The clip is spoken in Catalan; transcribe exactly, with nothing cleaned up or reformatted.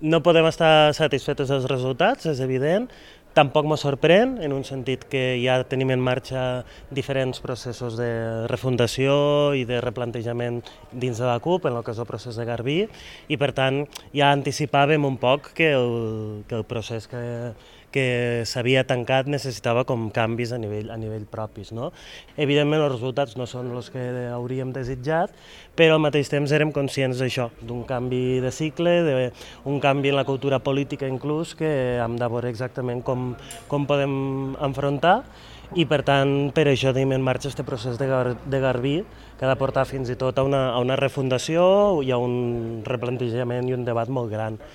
No podem estar satisfets dels resultats, és evident. Tampoc m'ho sorprèn, en un sentit que ja tenim en marxa diferents processos de refundació i de replantejament dins de la CUP, en el que és el procés de Garbí, i per tant ja anticipàvem un poc que el, que el procés que, que s'havia tancat necessitava com canvis a nivell, a nivell propis. No? Evidentment els resultats no són els que hauríem desitjat, però al mateix temps érem conscients d'això, d'un canvi de cicle, d'un canvi en la cultura política inclús, que hem de veure exactament com, com podem enfrontar, i per tant per això tenim en marxa aquest procés de, Gar de Garbí, que ha de portar fins i tot a una, a una refundació i a un replantejament i un debat molt gran.